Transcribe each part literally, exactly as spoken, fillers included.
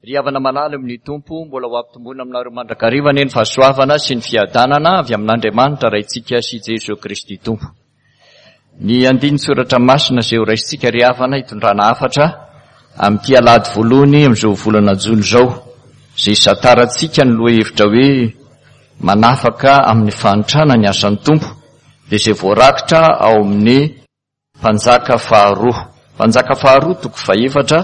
Ry havana malala amin'ny Tompo, mbola ho ampitomboina aminareo mandrakariva anie ny fahasoavana sy ny fiadanana avy amin'Andriamanitra Raintsika sy Jesoa Kristy Tompo. Ny andinin-tsoratra masina izay ho raisintsika ry havana hitondrana hafatra amin'ity alahady voalohany amin'izao volana jona izao, izay hisantarantsika ny lohahevitra hoe manafaka amin'ny fahantrana ny asan'ny Tompo, dia izay voarakitra ao amin'ny Mpanjaka faharoa. Mpanjaka faharoa toko fahefatra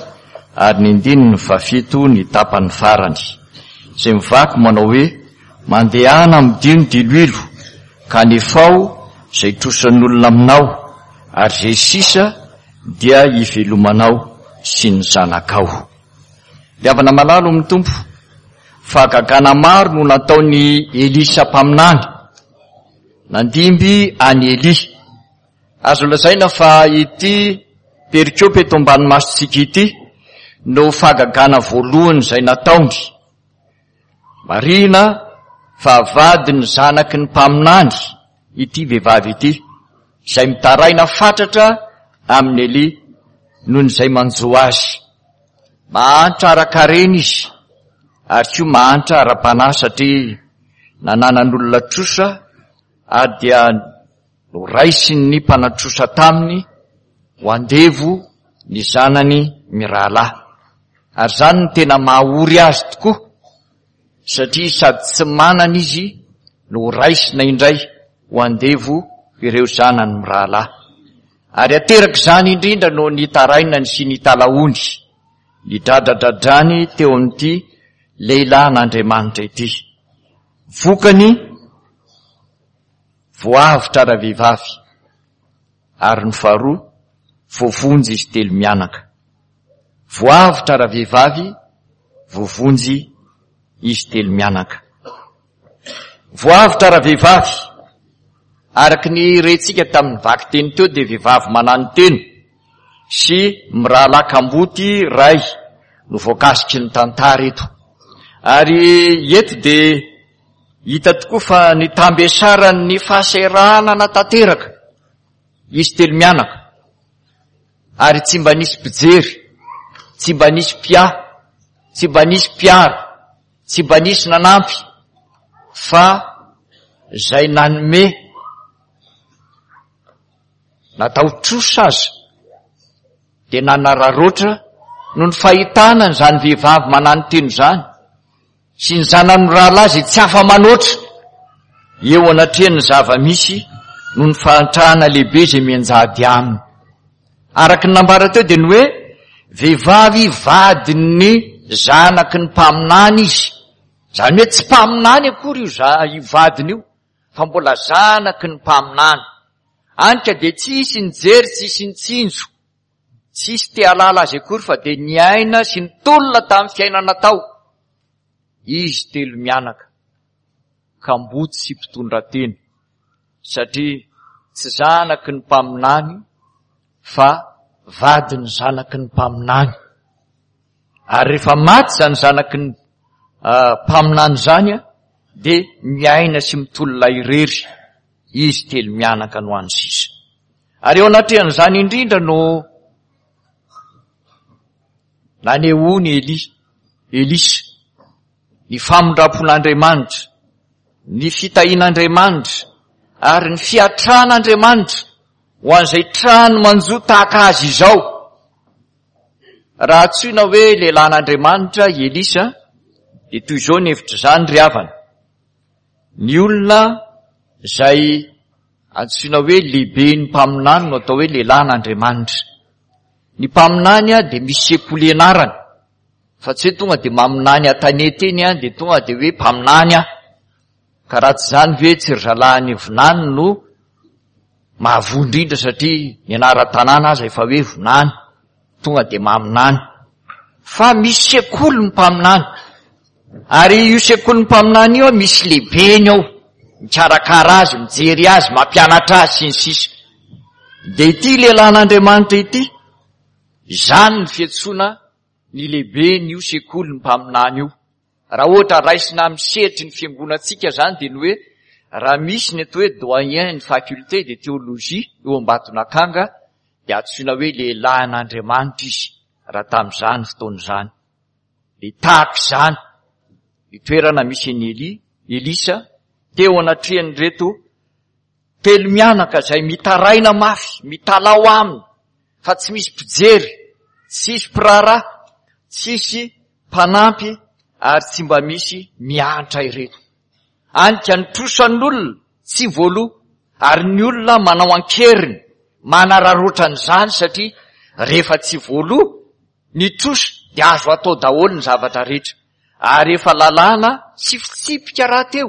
ary ny andininy fahafito ny tapany farany, izay mivaky manao hoe: Mandehana amidio ny diloilo, ka anefao izay trosan'olona aminao, ary izay sisa dia hivelomanao sy ny zanakao. Ry havana malala amin'ny Tompo, fahagagana maro no nataon'i Elisa mpaminany, nandimby an'i Elia. Azo lazaina fa ity perikopa eto ambany masontsika ity no fahagagana voalohany izay nataony. Marihina fa vadin'ny zanaky ny mpaminany ity vehivavy ity, izay mitaraina fatratra amin'i Elia noho ny izay manjo azy. Mahantra ara-karena izy, ary koa mahantra ara-panahy satria nananan'olona trosa ary dia noraisin'ny mpanatrosa taminy ho andevo ny zanany mirahalahy. Ary izany no tena mahaory azy tokoa, satria sady tsy manana izy no horaisina indray ho andevo ireo zanany mirahalahy. Ary ateraka izany indrindra no nitarainany sy nitalahoany, nidradradradrany teo amin'ity lehilahin'Andriamanitra ity. Vokany, voavotra ravehivavy, ary ny faharoa, voavonjy izy telo mianaka. Voavotra ravehivavy, voavonjy izy telo mianaka. Voavotra ravehivavy, araka ny rentsika tamin'ny vakiteny teo dia vehivavy mananotena sy mirahalahy kamboty ray no voakasiky ny tantara eto. Ary eto dia hita tokoa fa ny tambesaran'ny fahasahiranana tanteraka izy telo mianaka, ary tsy mba nisy mpijery, tsy mba nisy mpiahy, tsy mba nisy mpiaro, tsy mba nisy nanampy, fa izay nanome natao trosa aza dia nanararaotra noho ny fahitana an'izany vehivavy mananotena izany sy ny zanany mirahalahy izay tsy afa-manoatra eo anatrehan'ny zava-misy noho ny fahantrana lehibe izay mianjady aminy. Araka ny nambara teo dia ny hoe vehivavy vadin'ny zanaky ny mpaminany izy. Izany hoe tsy mpaminany akory io za-, io vadiny io, fa mbola zanaky ny mpaminany. Any ka dia tsisy nijery, tsisy nitsinjo, tsisy te hahalala azy akory, fa dia niaina sy nitolona tamin'ny fiainana tao izy telo mianaka, kamboty sy mpitondra tena, satria tsy zanaky ny mpaminany fa vadin'ny zanaky ny mpaminany. Ary rehefa maty izany zanaky ny, ah, mpaminany izany, dia miaina sy mitolona irery izy telo mianaka no any sisa. Ary eo anatrehan'izany indrindra no nanehoany Elia, Elisa, ny famindram-pon'Andriamanitra, ny fitahian'Andriamanitra, ary ny fiatran'Andriamanitra ho an'izay trano manjo tahaka azy izao. Raha antsoina hoe lehilahin'Andriamanitra i Elisa, dia toy izao ny hevitr'izany ry havana. Ny olona izay antsoina hoe lehiben'ny mpaminany no atao hoe lehilahin'Andriamanitra. Ny mpaminany dia misy sekoly ianarany, fa tsy hoe tonga dia maminany an-tanety eny dia tonga dia hoe mpaminany aho. Ka raha tsy izany ve tsy ry zalahy vinany no mahavoa indrindra, satria ny anaran-tanàna aza efa hoe vinany, tonga dia maminany. Fa misy sekoly ny mpaminany, ary io sekoly ny mpaminany io misy lehibeny ao, mikarakara azy, mijery azy, mampianatra azy sy ny sisa. Dia ity lehilahin'Andriamanitra ity, izany ny fiantsoana ny lehibeny io sekoly ny mpaminany io. Raha ohatra raisina amin'ny sehatry ny fiangonantsika izany dia ny hoe raha misy ny atao hoe doyen ny faculté de théologie eo Ambatonakanga dia antsoina hoe lehilahin'Andriamanitra izy raha tamin'izany fotoana izany. Dia tahaka izany ny toerana misy an'i Elia, Elisa, teo anatrehan'ireto telo mianaka izay mitaraina mafy, mitalaho aminy fa tsy misy mpijery, tsisy mpiraharaha, tsisy mpanampy ary tsy mba misy miantra ireto. Any ka ny trosan'olona tsy voaloa ary ny olona manao an-keriny, manararaotra an'izany satria rehefa tsy voaloa ny trosa dia azo atao daholo ny zavatra rehetra. Ary efa lalàna sy fitsipika rahateo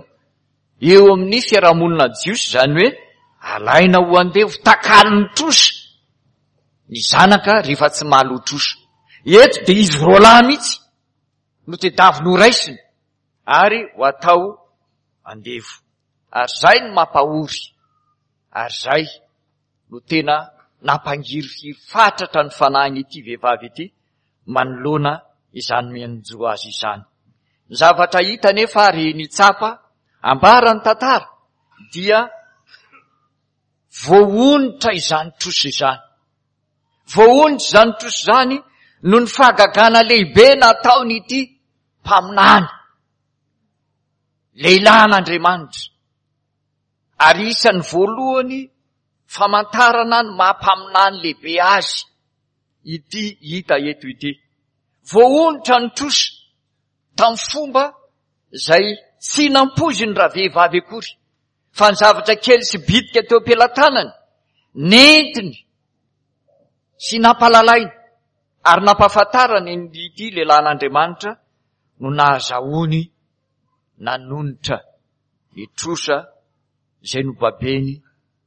eo amin'ny fiarahamonina jiosy, izany hoe alaina ho andevo takalon'ny trosa ny zanaka rehefa tsy mahaloa trosa. Eto dia izy roalahy mihitsy no tadiaviny ho raisina ary ho atao andevo. Ary izay no mampahory, ary izay no tena nampangirifiry fatratra ny fanahin'ity vehivavy ity manoloana izany mianjo azy izany. Ny zavatra hita nefa ary ny tsapa ambaran'ny tantara dia voaonitra izany trosa izany. Voaonitra izany trosa izany noho ny fahagagana lehibe nataon'ity mpaminany, lehilahin'Andriamanitra. Ary isan'ny voalohany famantarana ny maha mpaminany lehibe azy ity hita eto ity. Voaonitra ny trosa tamin'ny fomba izay tsy nampoiziny ravehivavy akory, fa ny zavatra kely sy bitika teo am-pelatanany nentiny sy nampalalainy ary nampahafantarany ity lehilahin'Andriamanitra no nahazahoany nanonitra ny trosa izay nobabeny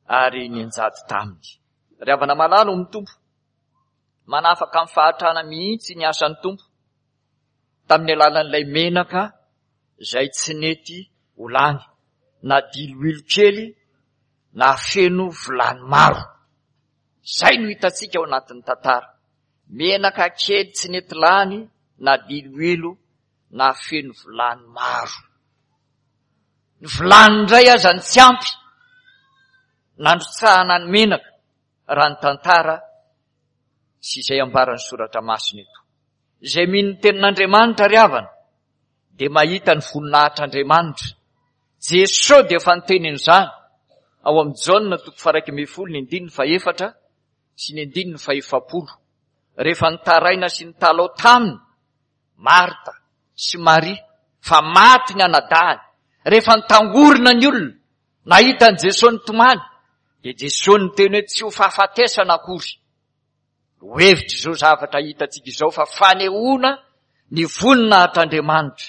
ary nianjady taminy. Ry havana malala ao amin'ny Tompo, manafaka amin'ny fahantrana mihitsy ny asan'ny Tompo tamin'ny alalan'ilay menaka izay tsy nety ho lany, na diloilo kely na feno vilany maro. Izay no hitantsika ao anatin'ny tantara. Menaka kely tsy nety lany na diloilo na feno vilany maro. Ny vilany indray aza ny tsy ampy nandrotsahana ny menaka, raha ny tantara sy izay ambaran'ny soratra masina eto. Izay mino ny tenin'Andriamanitra ry havana dia mahita ny voninahitr'Andriamanitra. Jesosy dia efa niteny an'izany ao amin'ny Jaona toko faha-iraika ambin'ny folo ny andininy fahefatra sy ny andininy fahefapolo. Rehefa nitaraina sy nitalaho taminy Marta sy Maria fa maty ny anadahiny, rehefa nitangorona ny olona nahita an'i Jesosy nitomany, dia Jesosy niteny hoe tsy ho fahafatesana akory. Ho hevitra izao zavatra hitantsika izao fa fanehoana ny voninahitr'Andriamanitra,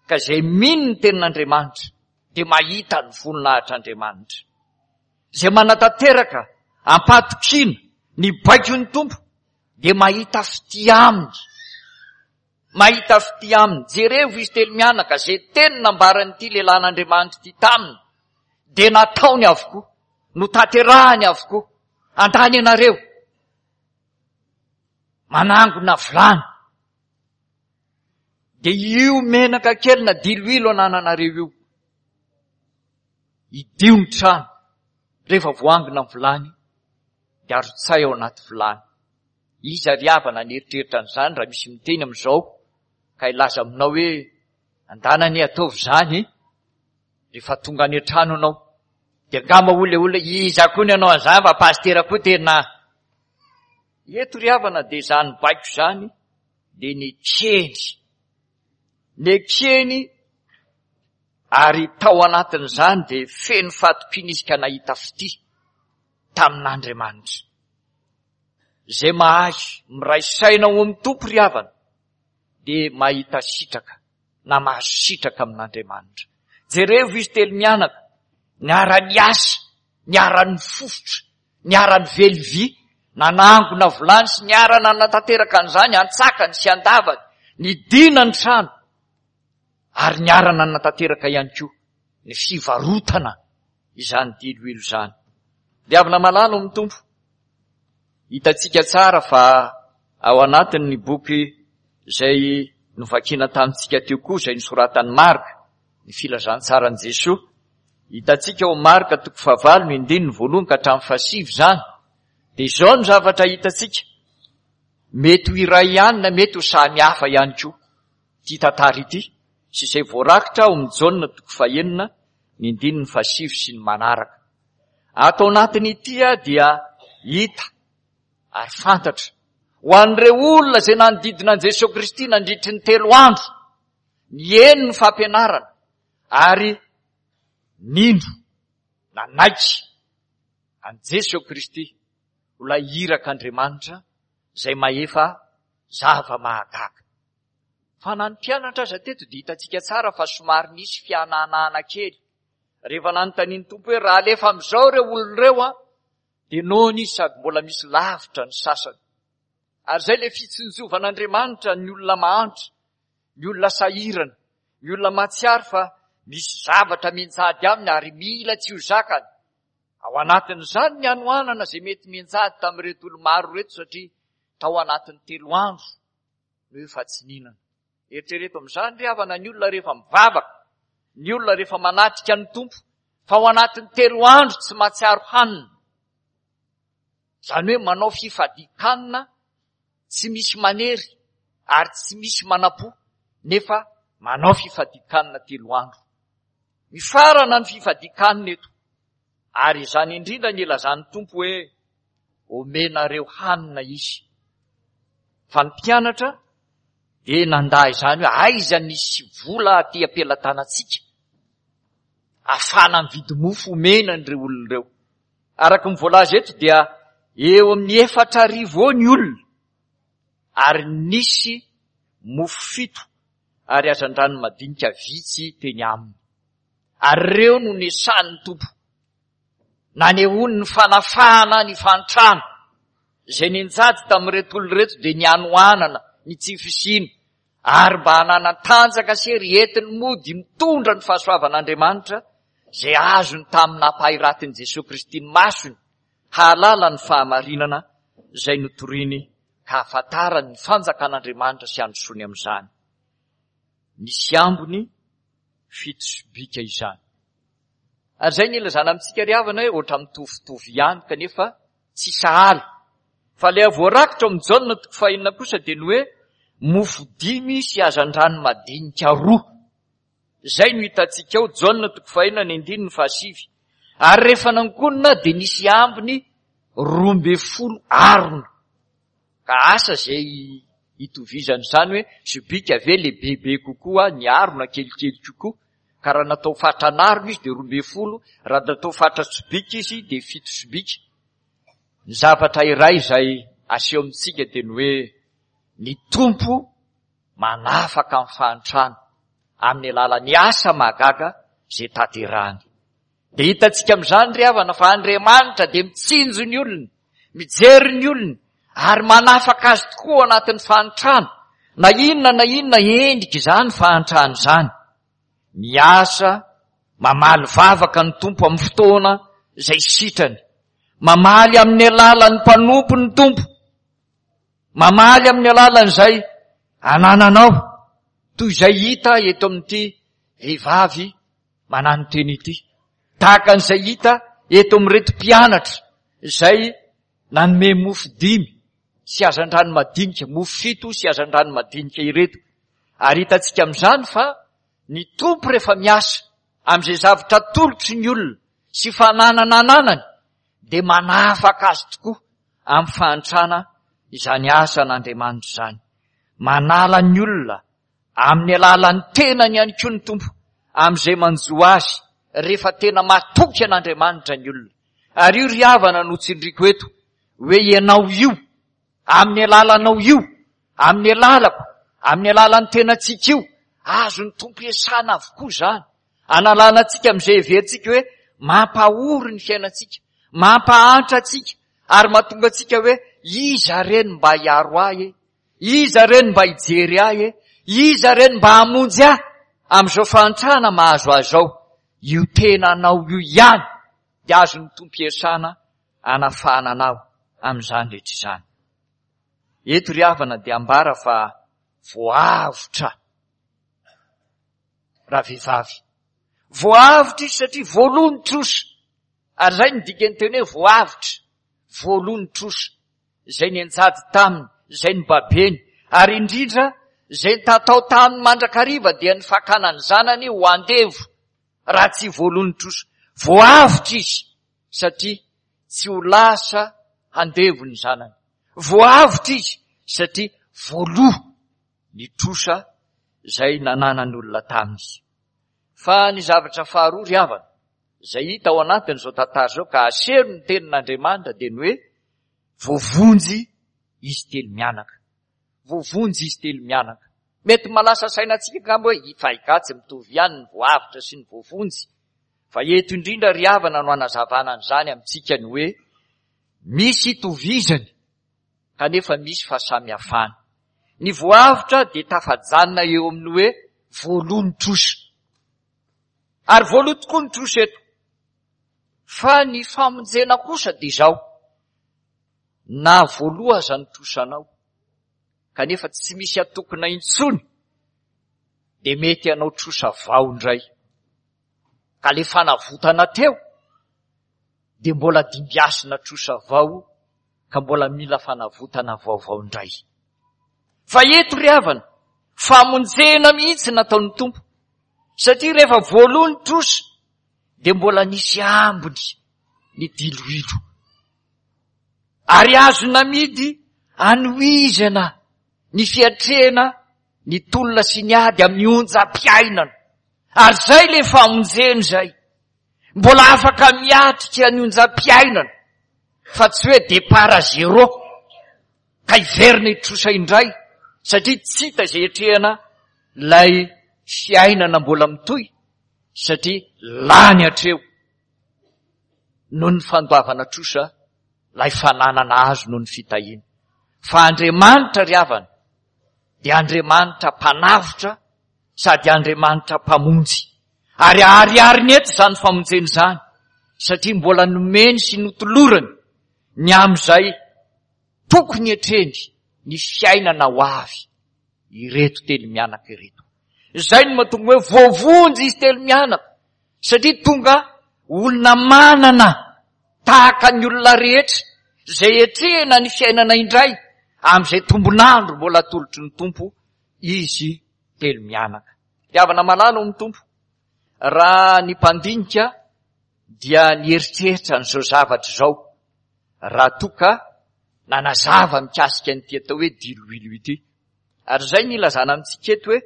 ka izay mino ny tenin'Andriamanitra dia mahita ny voninahitr'Andriamanitra. Izay manatanteraka am-pahatokiana ny baikon'ny Tompo dia mahita fitia aminy. Mahita fitia aminy. Jerevo izy telo mianaka, izay teny nambaran'ity lehilahin'Andriamanitra ity taminy dia nataony avokoa, notanterahany avokoa. Andany ianareo manangona vilany, dia io menaka kely na diloilo anananareo io, idio ny trano. Rehefa voangona ny vilany dia arotsay ao anaty vilany. Iza ry havana nieritreritra an'izany raha misy miteny amin'izao ka hilaza aminao hoe andana anie ataovy izany rehefa tonga any an-trano ianao, dia angamba hoy ilay olona, iza koa ny hanao an'izany fa pastera koa tena. Eto ry havana dia izany baiko izany dia nekeny. Nekeny ary tao anatin'izany dia feno fahatokiana izy ka nahita fitia tamin'Andriamanitra. Izay mahay miray saina ao amin'ny Tompo ry havana dia mahita sitraka na mahazo sitraka amin'Andriamanitra. Jerevo izy telo mianaka, niara-niasa, niara-nifofotra, niara-nively vy, nanangona vilany sy niara-nanatanteraka an'izany antsakany sy andavany, nidina ny trano ary niara-nanatanteraka ihany koa ny fivarotana izany diloilo izany. Ry havana malala ao amin'ny Tompo, hitantsika tsara fa ao anatin'ny boky izay novakiana tamintsika teo koa, izay nosoratan'i Marka, ny filazantsaran'i Jesoa, hitantsika ao Marka toko fahavalo ny andininy voalohany ka hatramin'ny fahasivy izany, dia izao no zavatra hitantsika, mety ho iray ihany na mety ho samy hafa ihany koa. ity tantara ity sy izay voarakitra ao amin'ny Jaona toko fahenina ny andininy fahasivy sy ny manaraka. Ato anatin'ity dia hita ary fantatra ho an'ireo olona izay nanodidina an'i Jesoa Kristy nandritry ny telo andro, nihaino ny fampianarana ary nino, nanaiky an'i Jesoa Kristy ho ilay irak'Andriamanitra izay mahefa zava-mahagaga. Fa na ny mpianatra aza teto dia hitantsika tsara fa somary nisy fihanahana kely. Rehefa nanontanian'ny Tompo hoe raha alefa amin'izao ireo olona ireo an, dia noana izy sady mbola misy lavitra ny sasany. Ary izay ilay fitsinjovan'Andriamanitra ny olona mahantra, ny olona sahirana, ny olona mahatsiaro fa misy zavatra mianjady aminy ary mila tsy ho zakany. Ao anatin'izany ny hanoanana izay mety mianjady tamin'ireto olo-maro ireto satria tao anatin'ny telo andro no efa tsy nihinana. Eritrereto amin'izany ry havana ny olona rehefa mivavaka, ny olona rehefa manatrika ny Tompo, fa ao anatin'ny telo andro tsy mahatsiaro hanina. Izany hoe manao fifadian-kanina tsy misy manery ary tsy misy manam-po, nefa manao fifadian-kanina telo andro. Mifarana ny fifadian-kanina eto. Ary izany indrindra ny ilazan'ny Tompo hoe omenareo hanina izy. Fa ny mpianatra dia nandà izany hoe aiza nisy vola aty am-pelatanantsika ahafahana mividy mofo omena an'ireo olona ireo. Araka ny voalaza eto dia eo amin'ny efatra arivo eo ny olona ary nisy mofo fito ary hazandrano madinika vitsy teny aminy. Ary ireo no nesan'ny Tompo. Nanehoany ny fanafahana ny fahantrana. Izay nianjady tamin'ireto olona ireto dia ny hanoanana, ny tsy fisiana, ary mba hananan-tanjaka sy hery entiny mody mitondra ny fahasoavan'Andriamanitra izay azony tamin'ny nampahiratin'i Jesoa Kristy ny masony hahalala ny fahamarinana izay notoriny ka hahafantarany ny fanjakan'Andriamanitra sy handrosoany amin'izany. Nisy ambiny fito sobika izany. Ary izay ny ilazana amintsika ry havana hoe ohatra mitovitovy ihany kanefa tsy sahala. Fa ilay voarakitra ao amin'ny Jaona toko fahenina kosa dia ny hoe mofo dimy sy hazandrano madinika roa. Izay no hitantsika ao Jaona toko fahenina ny andininy fahasivy. Ary rehefa nankonina dia nisy ambiny roa ambin'ny folo arona. Ka asa izay itovizany izany hoe sobika ve lehibebe kokoa, ny arona kelikely kokoa. Ka raha natao fatran'arona izy dia roa ambin'ny folo, raha natao fatra sobika izy dia fito sobika. Ny zavatra iray izay aseho amintsika dia ny hoe ny Tompo manafaka amin'ny fahantrana amin'ny alalan'ny asa mahagaga izay tanterahany. Dia hitantsika amin'izany ry havana fa Andriamanitra dia mitsinjo ny olony, mijery ny olony ary manafaka azy tokoa ao anatin'ny fahantrana. Na inona na inona endrika izany fahantrana izany. Miasa, mamaly vavaka ny Tompo amin'ny fotoana izay sitrany. Mamaly amin'ny alalan'ny mpanompo ny Tompo. Mamaly amin'ny alalan'izay anananao, toy izay hita eto amin'ity vehivavy manano-tena ity. Tahaka an'izay hita eto amin'ireto mpianatra izay nanome mofo dimy sy hazandrano madinika, mofo fito sy hazandrano madinika ireto. Ary hitantsika amin'izany fa ny Tompo rehefa miasa amin'izay zavatra atolotry ny olona sy fananana ananany dia manafaka azy tokoa amin'ny fahantrana izany asan'Andriamanitra izany. Manala ny olona amin'ny alalan'ny tenany ihany koa ny Tompo amin'izay manjo azy rehefa tena matoky an'Andriamanitra ny olona. Ary io ry havana no tsindriko eto hoe ianao io, amin'ny alalanao io, amin'ny alalako, amin'ny alalan'ny tenantsika io, azon'ny Tompo iasana avokoa izany. Analana antsika amin'izay heverintsika hoe mampahory ny fiainantsika, mampahantra antsika, ary mahatonga antsika hoe iza re no mba hiaro ahy e? Iza re no mba hijery ahy e? Iza re no mba hamonjy ahy amin'izao fahantrana mahazo ahy izao? Io tenanao io ihany dia azon'ny Tompo iasana hanafahana anao amin'izany rehetra izany. Eto ry havana dia ambara fa voavotra ravehivavy. Voavotra izy satria voaloa ny trosa. Ary izay no dikan'ny teny hoe voavotra. Voaloa ny trosa. Izay nianjady taminy, izay nobabeny. Ary indrindra izay nitatao taminy mandrakariva dia ny fakana ny zanany ho andevo raha tsy voaloa ny trosa. Voavotra izy satria tsy ho lasa andevo ny zanany. Voavotra izy satria voaloa ny trosa izay nananan'olona taminy. Fa ny zavatra faharoa ry havana izay hita ao anatin'izao tantara izao ka aseho ny tenin'Andriamanitra dia ny hoe voavonjy izy telo mianaka. Voavonjy izy telo mianaka. Mety malasa saina antsika angamba hoe fa angaha tsy mitovy ihany ny voavotra sy ny voavonjy. Fa eto indrindra ry havana no hanazavana an'izany amintsika ny hoe misy itovizany kanefa misy fahasamihafana. Ny voavotra dia tafajanona eo amin'ny hoe voaloa ny trosa. Ary voaloa tokoa ny trosa eto. Fa ny famonjena kosa dia izao. Na voaloa aza ny trosanao, kanefa tsy misy atokona intsony, dia mety hanao trosa vao indray. Ka le fanavotana teo dia mbola dimbiasina trosa vao ka mbola mila fanavotana vaovao indray. Fa eto ry havana, famonjena mihitsy nataon'ny Tompo, satria rehefa voaloa ny trosa dia mbola nisy ambiny ny diloilo. Ary azo namidy anohizana ny fiatrehana ny tolona sy ny ady amin'ny onjam-piainana. Ary izay ilay famonjena izay. Mbola afaka miatrika ny onjam-piainana, fa tsy hoe départ à zéro ka hiverina hitrosa indray, satria tsy hita izay hiatrehana ilay fiainana mbola mitohy, satria lany hatreo noho ny fandoavana trosa ilay fananana azo noho ny fitahiana. Fa Andriamanitra ry havana dia Andriamanitra mpanavotra sady Andriamanitra mpamonjy. Ary aharihariny eto izany famonjena izany, satria mbola nomeny sy notolorany ny amin'izay tokony hetreny ny fiainana ho avy ireto telo mianaka ireto. Izay no mahatonga hoe voavonjy izy telo mianaka, satria tonga olona manana tahaka ny olona rehetra izay hetrehina ny fiainana indray amin'izay tombon'andro mbola atolotry ny Tompo izy telo mianaka. Fitiavana malala ao amin'ny Tompo. Raha ny mpandinika dia nieritreritra an'izao zavatra izao raha toa ka nanazava mikasika an'ity atao hoe diloilo ity. Ary izay ny ilazana amintsika eto hoe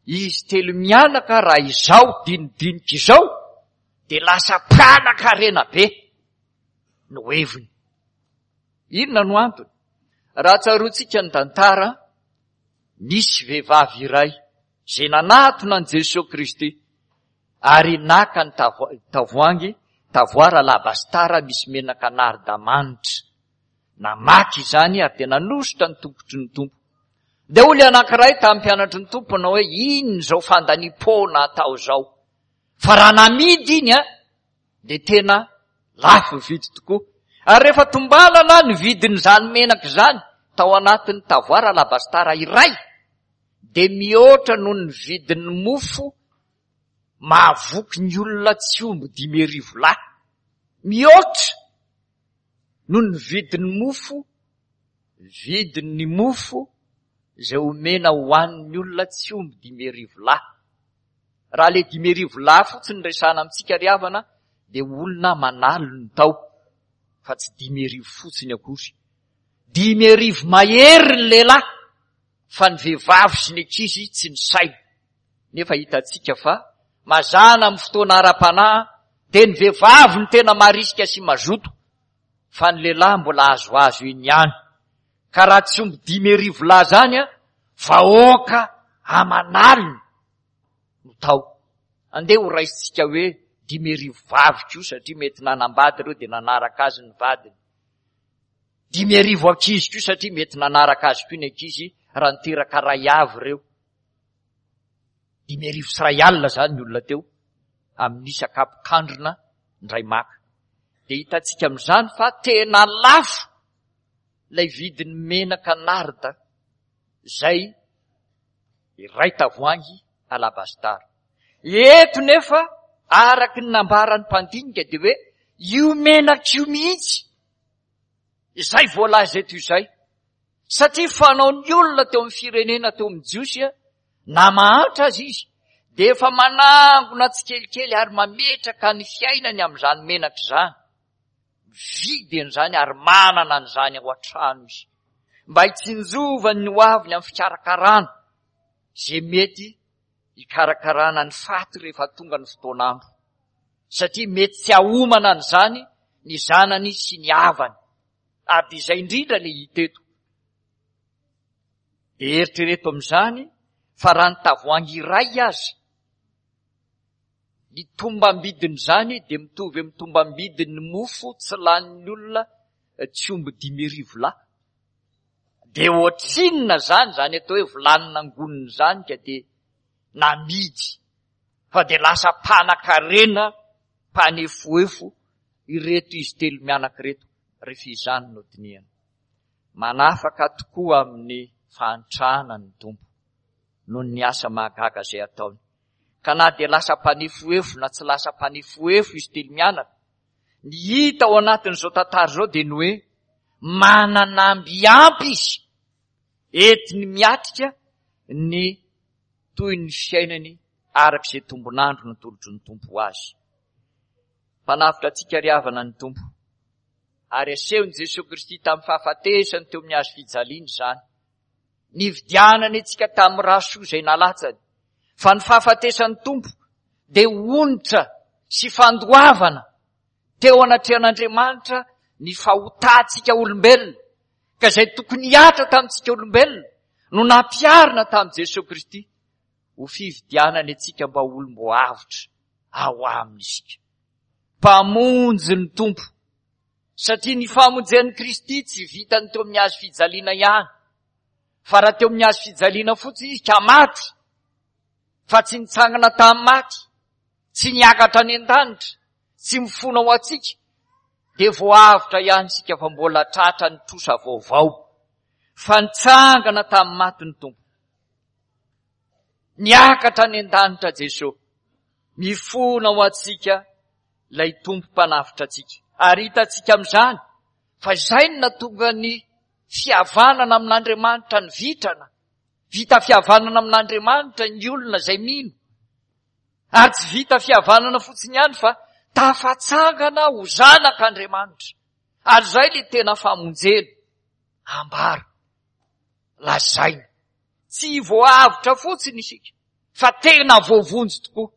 izy telo mianaka raha izao dinidinika izao dia lasa mpanan-karena be no heviny. Inona no antony? Raha tsaroantsika ny tantara, nisy vehivavy iray izay nanatona an'i Jesoa Kristy ary naka ny tavoahangy, tavoara alabastara misy menaka narda manitra. Namaky izany ary dia nanosotra ny tongotry ny Tompo. Dia hoy ilay anankiray tamin'ny mpianatry ny Tompo nanao hoe, inona izao fandaniam-poana atao izao? Fa raha namidy iny a, dia tena lafo vidy tokoa. Ary rehefa tombanana ny vidin'izany menaka izany tao anatin'ny tavoara alabastara iray, dia mihoatra noho ny vidin'ny mofo mahavoky ny olona tsy omby dimy arivo lahy. Mihoatra noho ny vidin'ny mofo, vidin'ny mofo izay omena hohanin'ny olona tsy omby dimy arivo lahy. Raha ilay dimy arivo lahy fotsiny resahana amintsika ry havana, dia olona aman'aliny tao, fa tsy dimy arivo fotsiny akory. Dimy arivo mahery ny lehilahy, fa ny vehivavy sy ny ankizy tsy nisaina. Nefa hitantsika fa mazàna amin'ny fotoana ara-panahy dia ny vehivavy no tena marisika sy mazoto, fa ny lehilahy mbola azoazo eny ihany. Ka raha tsy omby dimy arivo lahy izany, vahoaka aman'aliny no tao. Andeha ho raisintsika hoe dimy arivo vavy koa, satria mety nanambady ireo dia nanaraka azy ny vadiny. Dimy arivo ankizy koa, satria mety nanaraka azy koa ny ankizy raha niteraka ray avy ireo. Dimy arivo sy iray alina izany ny olona teo amin'ny isa kapokandrina indray maka. Dia hitantsika amin'izany fa tena lafo ilay vidin'ny menaka narda izay iray tavoahangy alabastara. Eto nefa araka ny nambaran'ny mpandinika dia hoe io menaka io mihitsy izay voalaza eto izay, Satria fanaon'ny olona teo amin'ny firenena teo amin'ny Jiosy, na mahantra aza izy, dia efa manangona tsikelikely ary mametraka ny fiainany amin'izany menaka izany. Mividy an'izany ary manana an'izany ao an-trano izy, mba hitsinjovany ny hoaviny amin'ny fikarakarana izay mety hikarakarana ny faty rehefa tonga ny fotoan'andro. Satria mety tsy hahomana an'izany ny zanany sy ny havany. Ary dia izay indrindra ilay hita eto. Dia eritrereto amin'izany fa raha ny tavoahangy iray aza, ny tombam-bidin'izany dia mitovy amin'ny tombam-bidin'ny mofo tsy lanin'ny olona tsy omby dimy arivo lahy. Dia ohatrinona izany, izany atao hoe vilany nangonina izany ka dia namidy, fa dia lasa mpanan-karena, mpanefoefo ireto izy telo mianaka ireto, rehefa izany no dinihana. Manafaka tokoa amin'ny fahantrana ny Tompo noho ny asa mahagaga izay ataony. Ka na dia lasa mpanefoefo na tsy lasa mpanefoefo izy telo mianaka, ny hita ao anatin'izao tantara izao dia ny hoe manana amby ampy izy entiny miatrika ny toy ny fiainany araka izay tombon'andro natolotry ny Tompo ho azy. Mpanavotra antsika ry havana ny Tompo, ary asehon'i Jesoa Kristy tamin'ny fahafatesany teo amin'ny hazo fijaliana izany. Nividianany antsika tamin'ny rà soa izay nalatsany, fa ny fahafatesan'ny Tompo dia onitra sy fandoavana teo anatrehan'Andriamanitra ny fahotantsika olombelona, ka izay tokony hihatra tamintsika olombelona no nampiharina tamin'i Jesoa Kristy ho fividianany antsika mba ho olom-boavotra ao aminy isika. Mpamonjy ny Tompo, satria ny famonjen'i Kristy tsy vitany teo amin'ny hazo fijaliana ihany, fa raha teo amin'ny hazo fijaliana fotsiny izy ka maty, fa tsy nitsangana tamin'ny maty, tsy niakatra any an-danitra, tsy mifona ho antsika, dia voavotra ihany isika fa mbola tratra ny trosa vaovao, fa nitsangana tamin'ny maty ny Tompo. Niakatra any an-danitra Jesoa, mifona ho antsika ilay Tompo mpanavotra antsika. Ary hitantsika amin'izany fa izay no nahatonga ny fihavanana amin'Andriamanitra ny vitrana. Vita fihavanana amin'Andriamanitra ny olona izay mino. Ary tsy vita fihavanana fotsiny ihany fa tafatsangana ho zanak'Andriamanitra. Ary izay ilay tena famonjena ambara, lazaina. Tsy voavotra fotsiny isika fa tena voavonjy tokoa.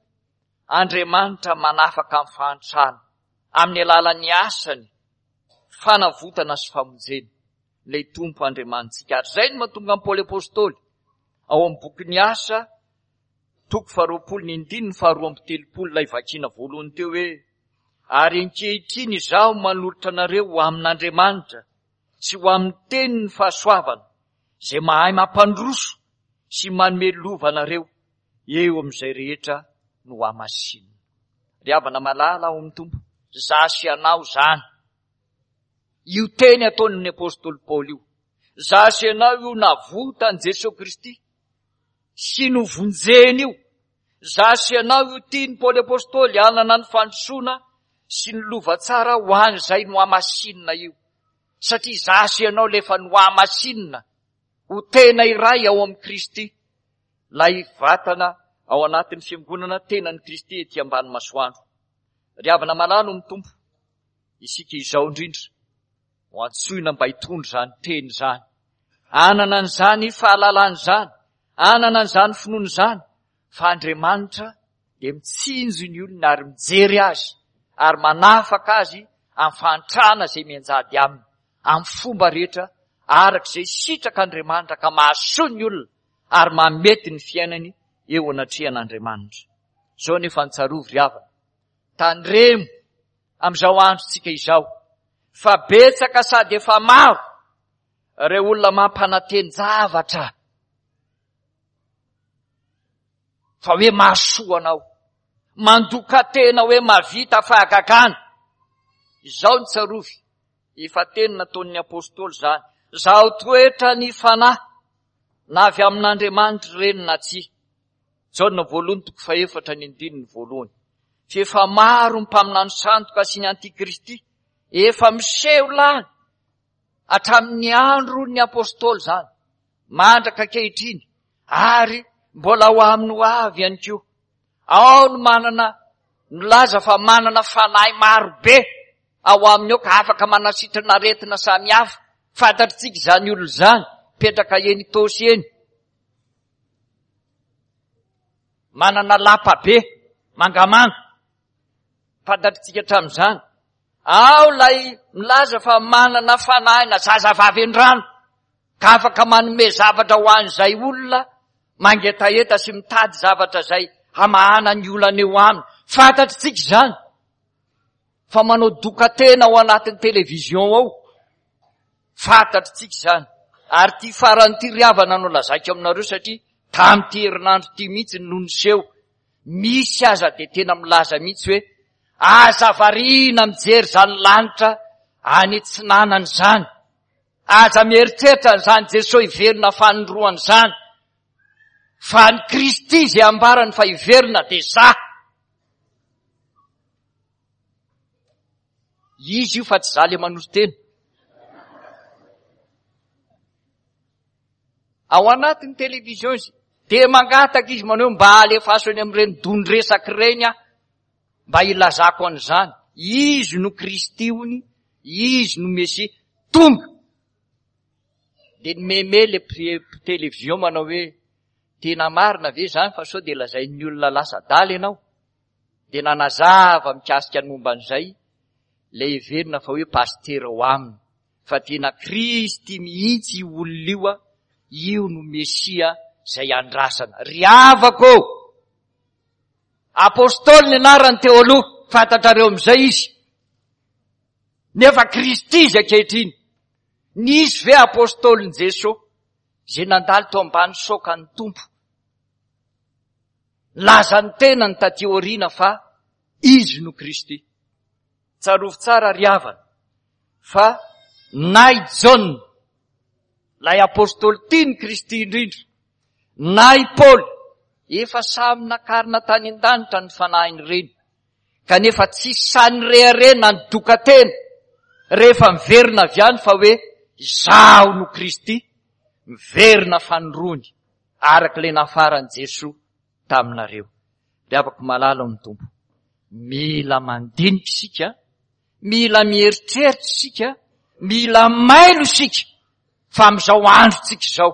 Andriamanitra manafaka amin'ny fahantrana amin'ny alalan'ny asany fanavotana sy famonjena ilay Tompo Andriamanitsika. Ary izay no mahatonga an'i Paoly Apostoly ao amin'ny bokin'ny Asa toko faharoapolo ny andininy faharoa amby telopolo ilay vakina voalohany teo hoe: ary ankehitriny izaho manolotra anareo ho amin'Andriamanitra sy ho amin'ny tenin'ny fahasoavana izay mahay mampandroso sy manome lova anareo eo amin'izay rehetra no hamasinina. Ry havana malala ao amin'ny Tompo, za sy ianao izany. Io teny ataon'ny Apostoly Paoly io. Za sy ianao io navotan'i Jesoa Kristy sy novonjeny io. Za sy ianao io tian'i Paoly Apostoly hanana ny fandrosoana sy ny lova tsara ho an'izay nohamasinina io. Satria za sy ianao ilay efa nohamasinina ho tena iray ao amin'i Kristy, ilay vatana ao anatin'ny fiangonana tenan'i Kristy ety ambany masoandro. Ry havana malala ny Tompo, isika izao indrindra ho antsoina mba hitondra izany teny izany, hanana an'izany fahalalana izany, hanana an'izany finoana izany, fa Andriamanitra dia mitsinjo ny olona ary mijery azy ary manafaka azy amin'ny fahantrana izay mianjady aminy, amin'ny fomba rehetra araka izay sitrak'Andriamanitra ka mahasoa ny olona ary mahamety ny fiainany eo anatrehan'Andriamanitra. Izao nefa ny tsarovy ry havana, tandremo amin'izao androntsika izao fa betsaka sady efa maro ireo olona mampananteny-javatra fa hoe mahasoa anao, mandoka tena hoe mahavita fahagagana. Izao ny tsarovy, efa teny nataon'ny apostoly izany, zaho toetra ny fanahy na avy amin'Andriamanitra ireny na tsia. Jaona voalohany toko fahefatra ny andininy voalohany. Fa efa maro ny mpaminany sandoka sy ny antikristy efa miseho lany Hatramin'ny andron'ny apôstôly izany, mandraka ankehitriny, ary mbola ho amin'ny ho avy ihany koa. Ao no manana, milaza fa manana fanahy maro be ao aminy ao ka afaka manasitrana aretina samihafa. Fantatritsika izany olona izany, mipetraka eny Itaosy eny. Manana lapa be, mangamanga. Fantatritsika hatramin'izany. Ao ilay milaza fa manana fanahy na zazavavy an-drano ka afaka manome zavatra ho an'izay olona mangetaheta sy mitady zavatra izay hamahana ny olana eo aminy. Fantatritsika izany fa manao doka-tena ao anatin'ny television ao. Fantatritsika izany. Ary ity farany ity ry havana no lazaiko aminareo satria tamin'ity herinandro ity mihitsy no niseho. Misy aza dia tena milaza mihitsy hoe aza variana mijery izany lanitra any atsinanana izany. Aza mieritreritra an'izany Jesoa hiverina fanindroany izany. Fa ny Kristy izay ambarany fa hiverina dia za. Izy io fa tsy za le manolo-tena. Ao anatin'ny télévision izy dia mangataka izy manao hoe mba alefaso eny amin'ireny don-dresaka ireny aho mba hilazako an'izany. Izy no Kristy hony, izy no Mesia. Tonga. Dia nimeme le télévision manao hoe tena marina ve izany fa sao dia lazain'ny olona lasa adala ianao. Dia nanazava mikasika ny momba an'izay ilay heverina fa hoe pasitera ao aminy. Fa tena Kristy mihitsy io olona io, io no Mesia izay andrasana. Ry havako ô! Apostoly ny anarany teo aloha, fantatrareo amin'izay izy. Nefa Kristy izy ankehitriny. Nisy ve apostolin'i Jesoa izay nandalo teo ambany saokan'ny Tompo? Nilaza ny tenany taty aoriana fa izy no Kristy. Tsarovy tsara ry havana fa na i Jaona, ilay apostoly tian'i Kristy indrindra, na i Paoly, efa samy nakarina tany an-danitra ny fanahin'ireny, kanefa tsy sahy nirehareha na nidoka tena rehefa miverina avy any fa hoe izaho no Kristy, miverina fanindroany araka ilay nafaran'i Jesoa taminareo. Ry havako malala ao amin'ny Tompo, mila mandinika isika, mila mieritreritra isika, mila mailo isika, fa amin'izao androntsika izao,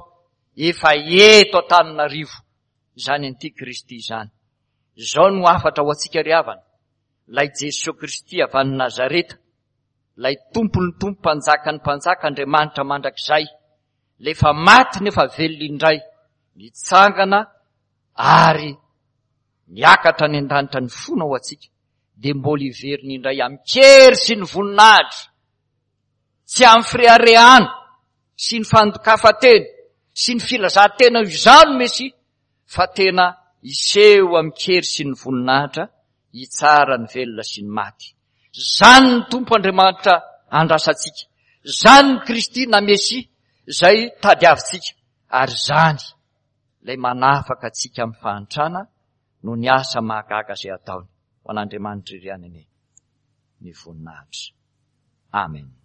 efa eto Antananarivo izany antikristy izany. Izao no hafatra ho antsika ry havana, ilay Jesoa Kristy avy any Nazareta, ilay Tompon'ny Tompo, Mpanjakan'ny Mpanjaka, Andriamanitra mandrakizay, ilay efa maty nefa velona indray, nitsangana ary niakatra any an-danitra ny fona ho antsika, dia mbola hiverina indray amin-kery sy ny voninahitra, tsy amin'ny fireharehana sy ny fandokafan-tena sy ny filazan-tena ho izaho no Mesia, fa tena hiseho amin-kery sy ny voninahitra hitsara ny velona sy ny maty. Izany ny Tompo Andriamanitra andrasantsika, izany ny Kristy na Mesia izay tadiavintsika, ary izany ilay manafaka antsika amin'ny fahantrana noho ny asa mahagaga izay ataony. Ho an'Andriamanitra irery ihany anie ny voninahitra. Amen.